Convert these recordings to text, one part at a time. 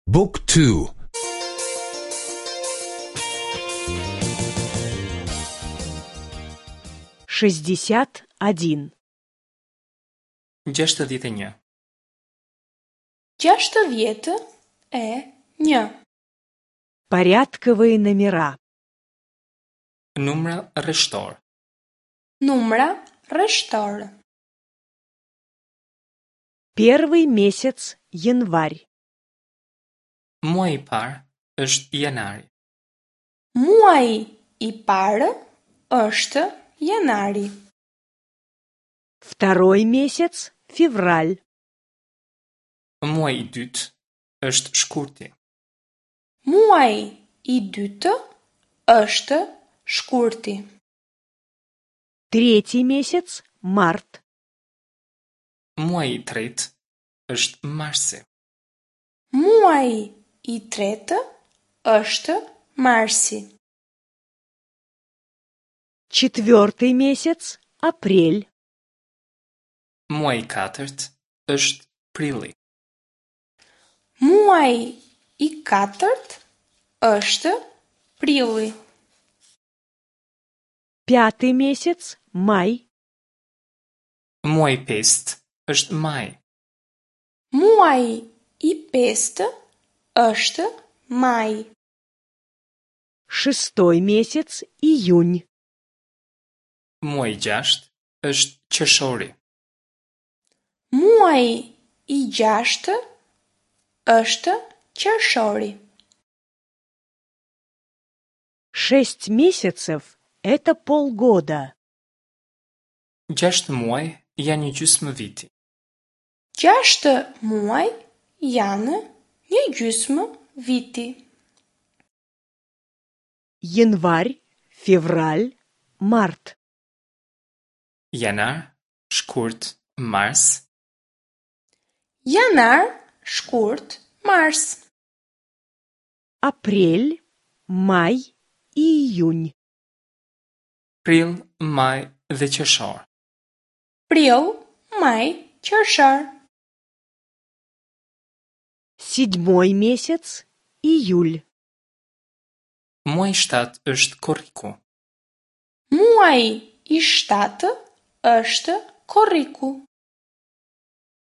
Book 2 61. 61. 61. Порядковые номера. Numra rreshtor. Numra rreshtor. Первый месяц январь. Muaji i parë është janari. Muaji i parë është janari. Второй месяц февраль. Muaji i dytë është shkurti. Muaji i dytë është shkurti. Третий месяц март. Muaji i tretë është marsi. Muaji i tretë është marsi. Четвертый месяц апрель. Muaji i katërt është prilli. Muaji i katërt është prilli. Пятый месяц май. Muaji i pestë është maj. Muaji i pestë është maj. Шестой месяц июнь. Muaji i gjashtë është qershori. Muaji i gjashtë është qershori. Шесть месяцев – это полгода. Gjashtë muaj janë një gjysmë viti. Gjashtë muaj janë një gjysmë viti. Январь, февраль, март. Janar, shkurt, mars. Janar, shkurt, mars. Апрель, май и июнь. Prill, maj dhe qershor. Prill, maj, qershor. Седьмой месяц июль. Muaji i shtatë është korriku. Muaji i shtatë është korriku.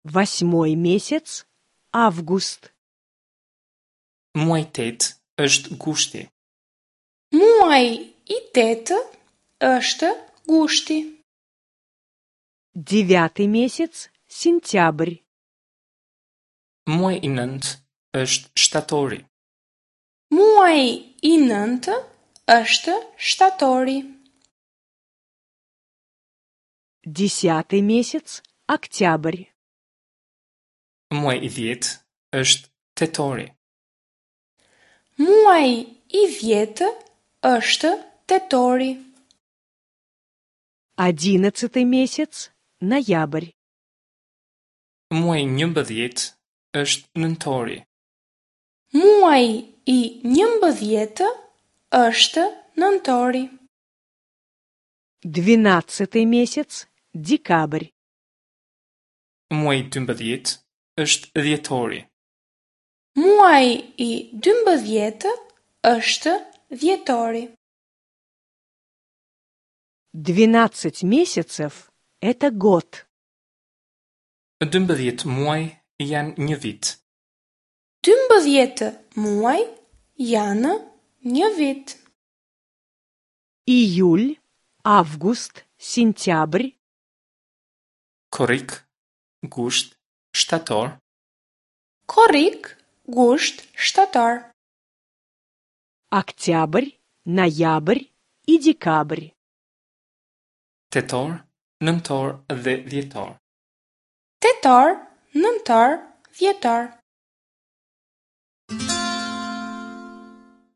Восьмой месяц август. Muaji i tetë është gushti. Muaji i tetë është gushti. Девятый месяц сентябрь. Muaji i nëntë është shtatori. Muaji i nëntë është shtatori. Десятый месяц октябрь. Muaji i dhjetë është tetori. Muaji i dhjetë është tetori. Одиннадцатый месяц ноябрь. Muaji i 11 është nëntori. Muaji i 11 është nëntori. Двенадцатый месяц декабрь. Muaji i 12 është dhjetori. Muaji i 12 është dhjetori. Двенадцать месяцев – это год. 12 muaj janë një vit. 12 muaj janë një vit. Июль, август, сентябрь, Korrik, gusht, shtator, Korrik, gusht, shtator. октябрь, ноябрь и декабрь. tetor, nëntor dhe dhjetor. Tetor, nëntor, dhjetor.